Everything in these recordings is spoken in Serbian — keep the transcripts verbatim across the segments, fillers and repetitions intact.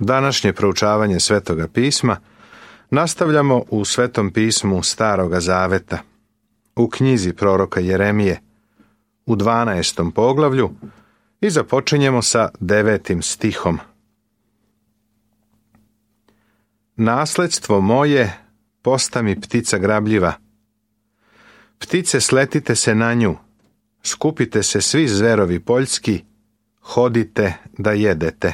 Današnje proučavanje Svetoga pisma nastavljamo u Svetom pismu Staroga Zaveta, u knjizi proroka Jeremije, u dvanaestom poglavlju i započinjemo sa devetim stihom. Nasledstvo moje posta mi ptica grabljiva. Ptice, sletite se na nju, skupite se svi zverovi poljski, hodite da jedete.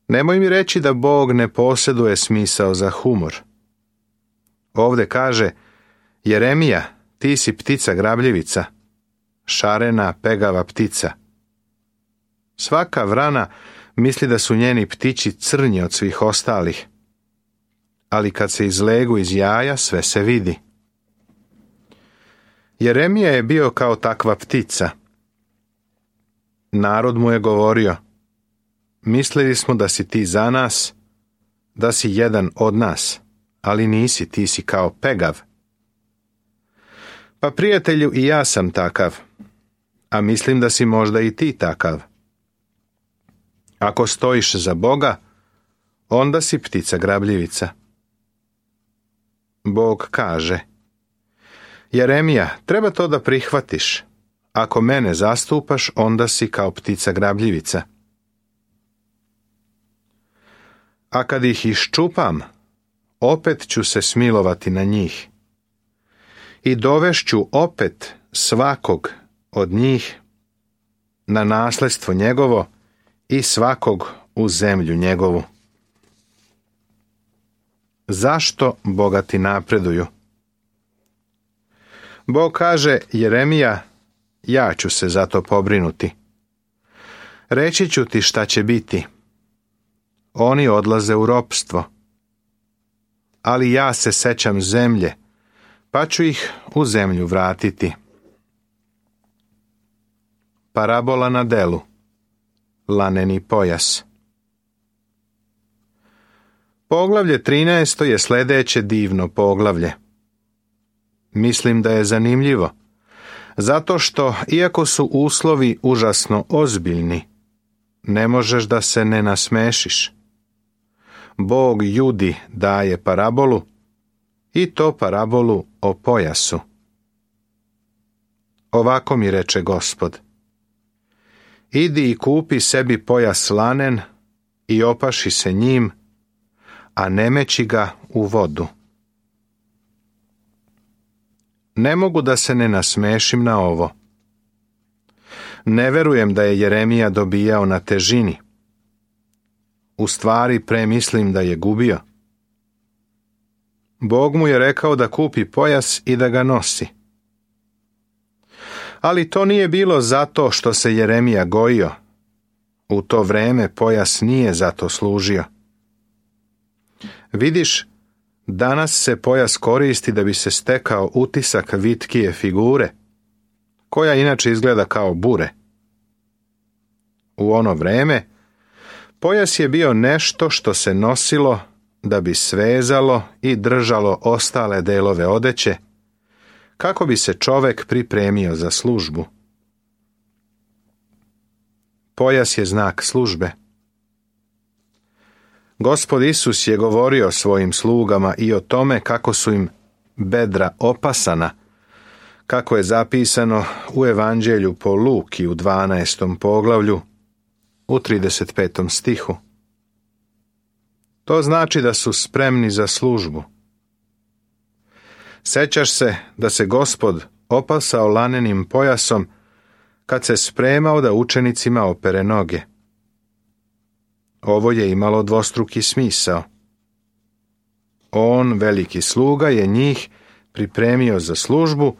Nemoj mi reći da Bog ne posjeduje smisao za humor. Ovdje kaže: Jeremija, ti si ptica grabljivica, šarena, pegava ptica. Svaka vrana misli da su njeni ptići crnji od svih ostalih, ali kad se izlegu iz jaja, sve se vidi. Jeremija je bio kao takva ptica. Narod mu je govorio: mislili smo da si ti za nas, da si jedan od nas, ali nisi, ti si kao pegav. Pa prijatelju, i ja sam takav, a mislim da si možda i ti takav. Ako stojiš za Boga, onda si ptica grabljivica. Bog kaže: Jeremija, treba to da prihvatiš. Ako mene zastupaš, onda si kao ptica grabljivica. A kad ih iščupam, opet ću se smilovati na njih. I dovešću opet svakog od njih na nasledstvo njegovo i svakog u zemlju njegovu. Zašto bogati napreduju? Bog kaže: Jeremija, ja ću se za to pobrinuti. Reći ću ti šta će biti. Oni odlaze u ropstvo, ali ja se sećam zemlje, pa ću ih u zemlju vratiti. Parabola na delu. Laneni pojas. Poglavlje trinaesto je sljedeće divno poglavlje. Mislim da je zanimljivo, zato što, iako su uslovi užasno ozbiljni, ne možeš da se ne nasmešiš. Bog Judi daje parabolu, i to parabolu o pojasu. Ovako mi reče Gospod: idi i kupi sebi pojas lanen i opaši se njim, a ne meći ga u vodu. Ne mogu da se ne nasmešim na ovo. Ne verujem da je Jeremija dobijao na težini. U stvari premislim da je gubio. Bog mu je rekao da kupi pojas i da ga nosi. Ali to nije bilo zato što se Jeremija gojio. U to vreme pojas nije zato služio. Vidiš, danas se pojas koristi da bi se stekao utisak vitkije figure, koja inače izgleda kao bure. U ono vreme pojas je bio nešto što se nosilo da bi svezalo i držalo ostale delove odeće, kako bi se čovek pripremio za službu. Pojas je znak službe. Gospod Isus je govorio svojim slugama i o tome kako su im bedra opasana, kako je zapisano u Evanđelju po Luki u dvanaestom poglavlju, u trideset petom stihu. To znači da su spremni za službu. Sećaš se da se Gospod opasao lanenim pojasom kad se spremao da učenicima opere noge. Ovo je imalo dvostruki smisao. On, veliki sluga, je njih pripremio za službu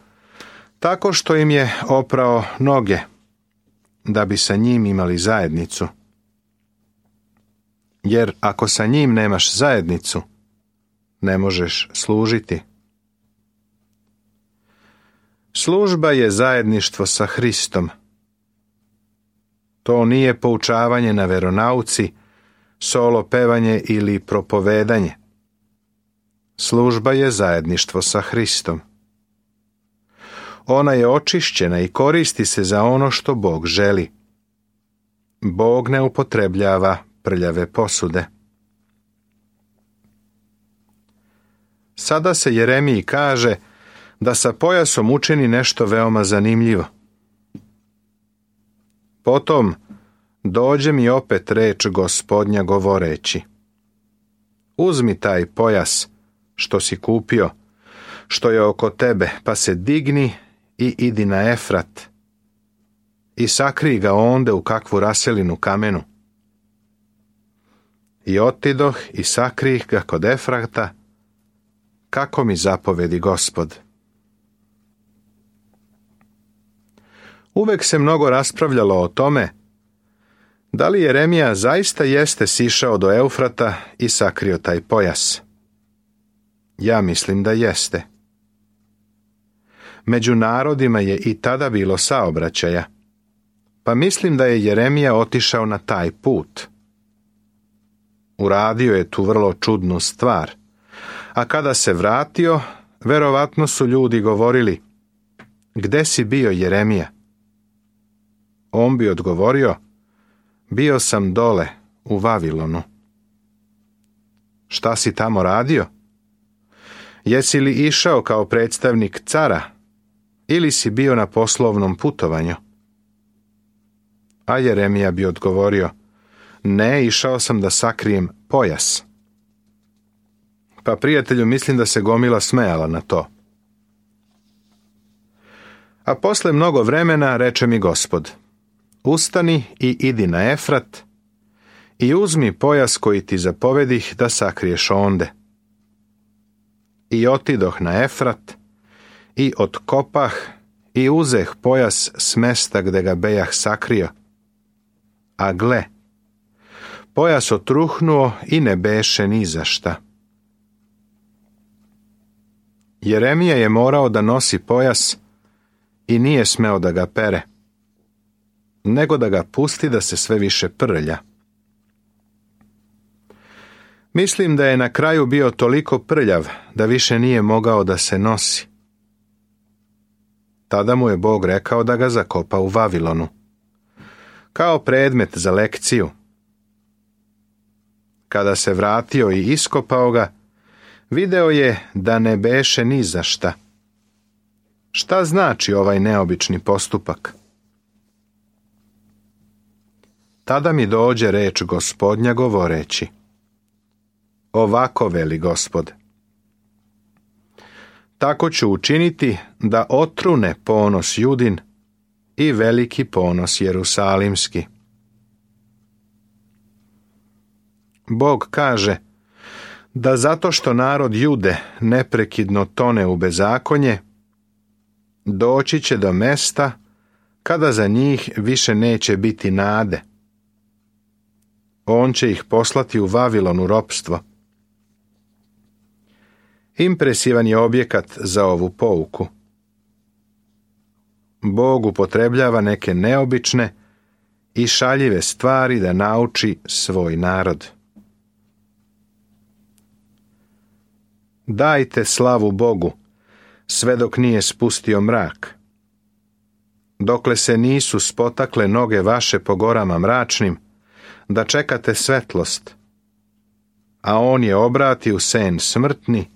tako što im je oprao noge, da bi sa njim imali zajednicu. Jer ako sa njim nemaš zajednicu, ne možeš služiti. Služba je zajedništvo sa Hristom. To nije poučavanje na veronauci, solo pevanje ili propovedanje. Služba je zajedništvo sa Hristom. Ona je očišćena i koristi se za ono što Bog želi. Bog ne upotrebljava prljave posude. Sada se Jeremiji kaže da sa pojasom učini nešto veoma zanimljivo. Potom dođe mi opet reč Gospodnja govoreći: uzmi taj pojas što si kupio, što je oko tebe, pa se digni i idi na Efrat i sakri ga onde u kakvu raselinu kamenu. I otidoh i sakrih ga kod Efrata, kako mi zapovedi Gospod. Uvek se mnogo raspravljalo o tome da li Jeremija zaista jeste sišao do Eufrata i sakrio taj pojas. Ja mislim da jeste. Među narodima je i tada bilo saobraćaja, pa mislim da je Jeremija otišao na taj put. Uradio je tu vrlo čudnu stvar, a kada se vratio, verovatno su ljudi govorili: gde si bio, Jeremija? On bi odgovorio: bio sam dole u Vavilonu. Šta si tamo radio? Jesi li išao kao predstavnik cara ili si bio na poslovnom putovanju? A Jeremija bi odgovorio: ne, išao sam da sakrijem pojas. Pa, prijatelju, mislim da se gomila smejala na to. A posle mnogo vremena reče mi Gospod: ustani i idi na Efrat i uzmi pojas koji ti zapovedih da sakriješ onde. I otidoh na Efrat i otkopah i uzeh pojas s mesta gde ga bejah sakrio. A gle, pojas otruhnuo i ne beše ni za šta. Jeremija je morao da nosi pojas i nije smeo da ga pere, nego da ga pusti da se sve više prlja. Mislim da je na kraju bio toliko prljav da više nije mogao da se nosi. Tada mu je Bog rekao da ga zakopa u Vavilonu, kao predmet za lekciju. Kada se vratio i iskopao ga, video je da ne beše ni za šta. Šta znači ovaj neobični postupak? Tada mi dođe reč Gospodnja govoreći: ovako veli Gospod: tako ću učiniti da otrune ponos Judin i veliki ponos Jerusalimski. Bog kaže da zato što narod Jude neprekidno tone u bezakonje, doći će do mesta kada za njih više neće biti nade. On će ih poslati u Vavilon u ropstvo. Impresivan je objekat za ovu pouku. Bog upotrebljava neke neobične i šaljive stvari da nauči svoj narod. Dajte slavu Bogu, sve dok nije spustio mrak. Dokle se nisu spotakle noge vaše po gorama mračnim, da čekate svetlost, a on je obrati u sen smrtni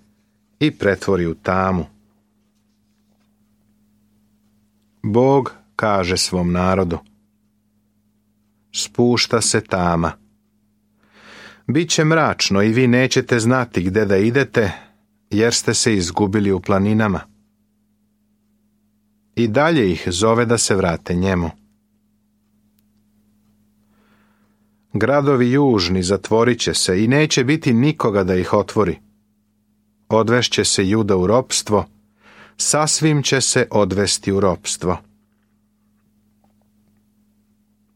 i pretvori u tamu. Bog kaže svom narodu: spušta se tama. Biće mračno i vi nećete znati gde da idete, jer ste se izgubili u planinama. I dalje ih zove da se vrate njemu. Gradovi južni zatvorit će se i neće biti nikoga da ih otvori. Odvešće se Juda u ropstvo, sasvim će se odvesti u ropstvo.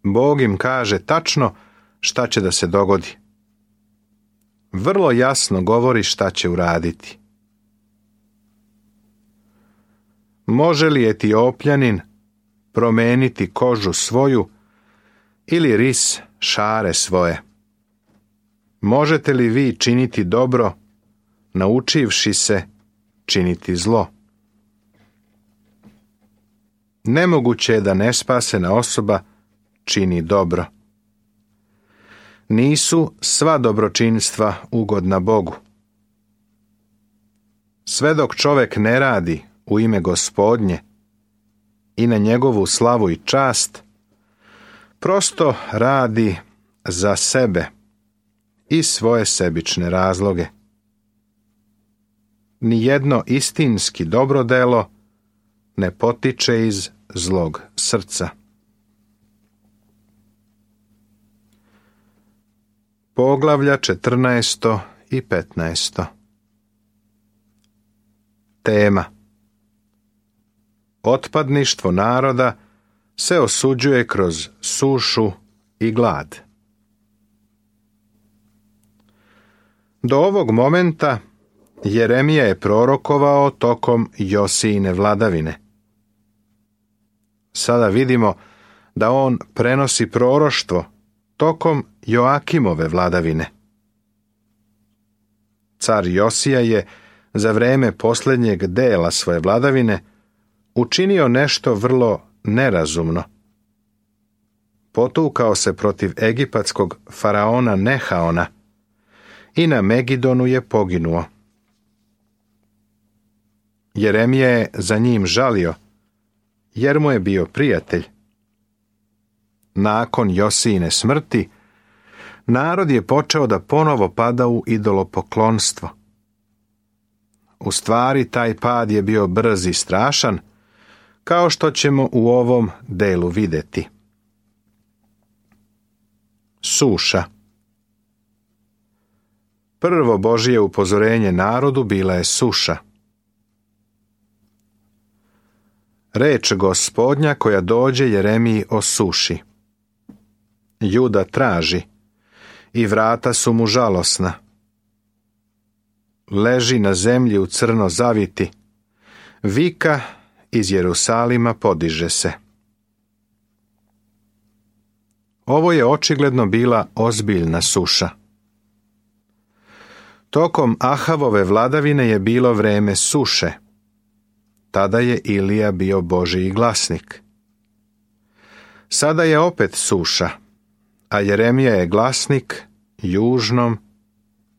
Bog im kaže tačno šta će da se dogodi. Vrlo jasno govori šta će uraditi. Može li Etiopljanin promeniti kožu svoju ili ris šare svoje? Možete li vi činiti dobro, naučivši se činiti zlo? Nemoguće je da nespasena osoba čini dobro. Nisu sva dobročinstva ugodna Bogu. Sve dok čovjek ne radi u ime Gospodnje i na njegovu slavu i čast, prosto radi za sebe i svoje sebične razloge. Nijedno istinski dobro delo ne potiče iz zlog srca. Poglavlja četrnaesto i petnaesto. Tema: Otpadništvo naroda se osuđuje kroz sušu i glad. Do ovog momenta Jeremija je prorokovao tokom Josijine vladavine. Sada vidimo da on prenosi proroštvo tokom Joakimove vladavine. Car Josija je za vreme posljednjeg dela svoje vladavine učinio nešto vrlo nerazumno. Potukao se protiv egipatskog faraona Nehaona i na Megidonu je poginuo. Jeremija je za njim žalio, jer mu je bio prijatelj. Nakon Josijine smrti, narod je počeo da ponovo pada u idolopoklonstvo. U stvari, taj pad je bio brz i strašan, kao što ćemo u ovom delu vidjeti. Suša. Prvo Božje upozorenje narodu bila je suša. Reč Gospodnja koja dođe Jeremiji o suši. Juda traži i vrata su mu žalosna. Leži na zemlji u crno zaviti, vika iz Jerusalima podiže se. Ovo je očigledno bila ozbiljna suša. Tokom Ahavove vladavine je bilo vreme suše. Tada je Ilija bio Božji glasnik. Sada je opet suša, a Jeremija je glasnik južnom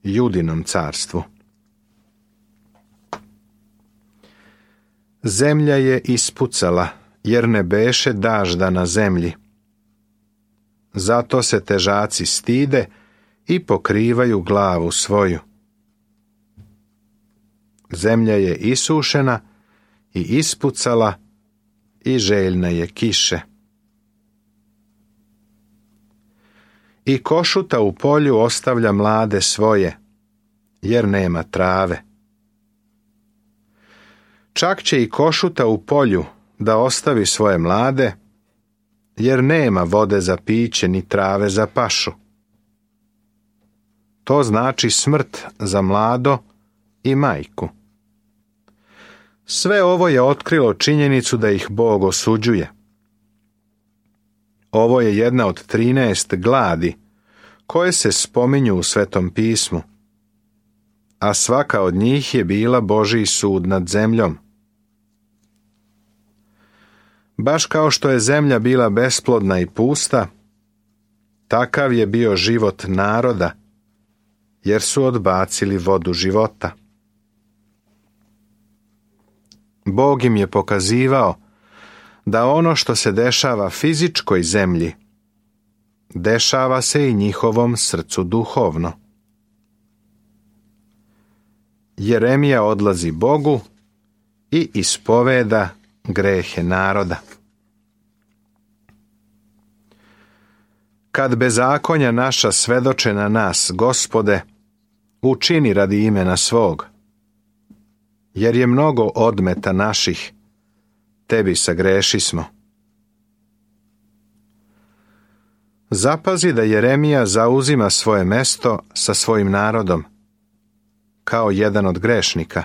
Judinom carstvu. Zemlja je ispucala, jer ne beše dažda na zemlji. Zato se težaci stide i pokrivaju glavu svoju. Zemlja je isušena i ispucala i željna je kiše. I košuta u polju ostavlja mlade svoje, jer nema trave. Čak će i košuta u polju da ostavi svoje mlade, jer nema vode za piće ni trave za pašu. To znači smrt za mlado i majku. Sve ovo je otkrilo činjenicu da ih Bog osuđuje. Ovo je jedna od trinaest gladi koje se spominju u Svetom pismu, a svaka od njih je bila Božji sud nad zemljom. Baš kao što je zemlja bila besplodna i pusta, takav je bio život naroda, jer su odbacili vodu života. Bog im je pokazivao da ono što se dešava fizičkoj zemlji, dešava se i njihovom srcu duhovno. Jeremija odlazi Bogu i ispoveda grehe naroda. Kad bezakonja naša svedoče na nas, Gospode, učini radi imena svog, jer je mnogo odmeta naših, tebi sagrešismo. Zapazi da Jeremija zauzima svoje mesto sa svojim narodom, kao jedan od grešnika.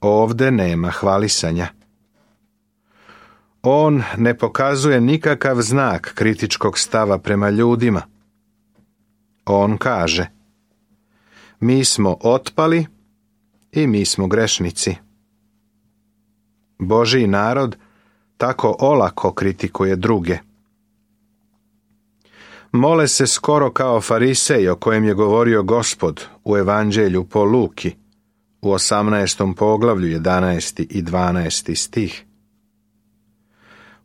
Ovde nema hvalisanja. On ne pokazuje nikakav znak kritičkog stava prema ljudima. On kaže: mi smo otpali i mi smo grešnici. Božji narod tako olako kritikuje druge. Mole se skoro kao farisej o kojem je govorio Gospod u Evanđelju po Luki, u osamnaestom poglavlju jedanaesti i dvanaesti stih.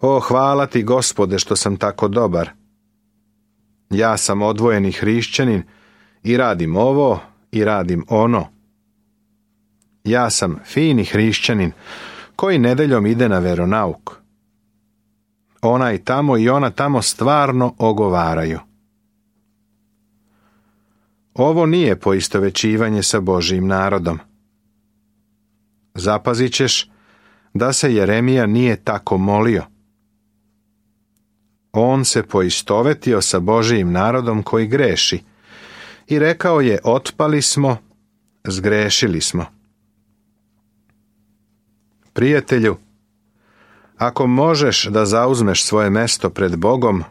O, hvala ti, Gospode, što sam tako dobar. Ja sam odvojeni hrišćanin i radim ovo i radim ono. Ja sam fini hrišćanin koji nedeljom ide na veronauk. Ona i tamo i ona tamo stvarno ogovaraju. Ovo nije poistovećivanje sa Božjim narodom. Zapazit ćeš da se Jeremija nije tako molio. On se poistovetio sa Božjim narodom koji greši i rekao je: otpali smo, zgrešili smo. Prijatelju, ako možeš da zauzmeš svoje mesto pred Bogom,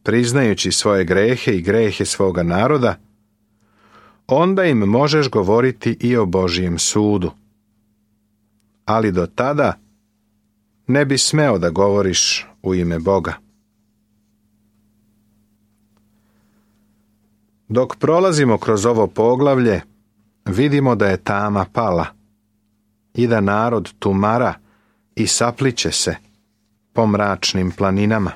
priznajući svoje grehe i grehe svoga naroda, onda im možeš govoriti i o Božjem sudu. Ali do tada ne bi smeo da govoriš u ime Boga. Dok prolazimo kroz ovo poglavlje, vidimo da je tama pala i da narod tumara i sapliće se po mračnim planinama.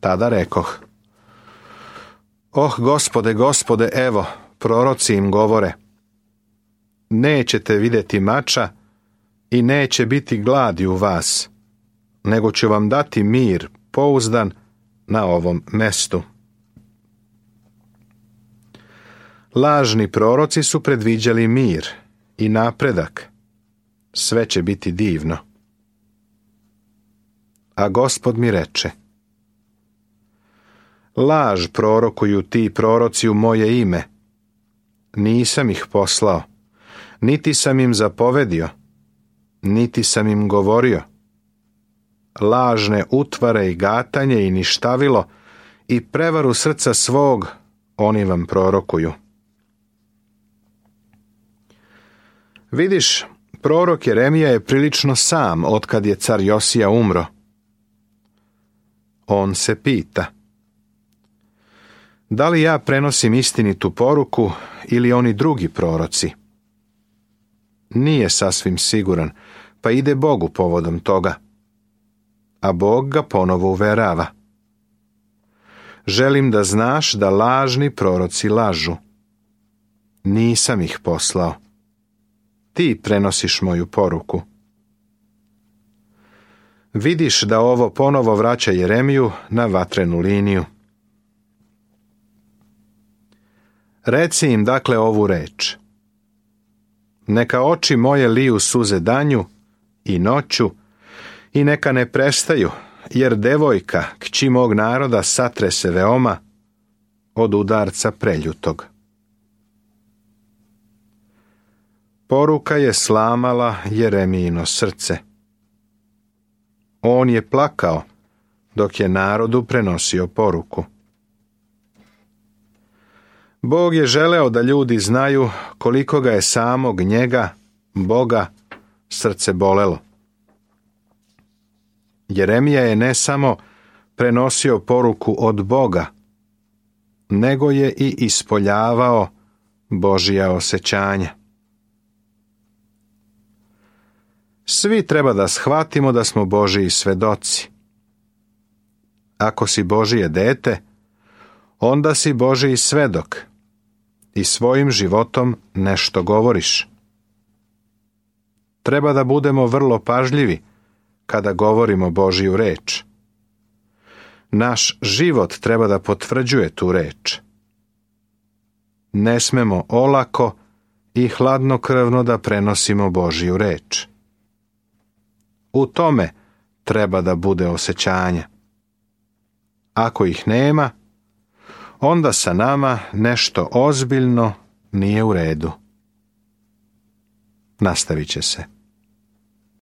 Tada rekoh: Oh, Gospode, Gospode, evo, proroci im govore: nećete vidjeti mača i neće biti gladi u vas, nego ću vam dati mir pouzdan na ovom mestu. Lažni proroci su predviđali mir i napredak. Sve će biti divno. A Gospod mi reče: laž prorokuju ti proroci u moje ime. Nisam ih poslao, niti sam im zapovedio, niti sam im govorio. Lažne utvare i gatanje i ništavilo i prevaru srca svog oni vam prorokuju. Vidiš, prorok Jeremija je prilično sam otkad je car Josija umro. On se pita: da li ja prenosim istinitu poruku ili oni drugi proroci? Nije sasvim siguran, pa ide Bogu povodom toga. A Bog ga ponovo uverava: želim da znaš da lažni proroci lažu. Nisam ih poslao. Ti prenosiš moju poruku. Vidiš da ovo ponovo vraća Jeremiju na vatrenu liniju. Reci im dakle ovu reč: neka oči moje liju suze danju i noću i neka ne prestaju, jer devojka, kći mog naroda, satre se veoma od udarca preljutog. Poruka je slamala Jeremijino srce. On je plakao dok je narodu prenosio poruku. Bog je želeo da ljudi znaju koliko ga je samog njega, Boga, srce bolelo. Jeremija je ne samo prenosio poruku od Boga, nego je i ispoljavao Božja osjećanja. Svi treba da shvatimo da smo Božji svedoci. Ako si Božje dete, onda si Božji svedok i svojim životom nešto govoriš. Treba da budemo vrlo pažljivi kada govorimo Božju reč. Naš život treba da potvrđuje tu reč. Ne smemo olako i hladnokrvno da prenosimo Božju reč. U tome treba da bude osjećanja. Ako ih nema, onda sa nama nešto ozbiljno nije u redu. Nastavit će se.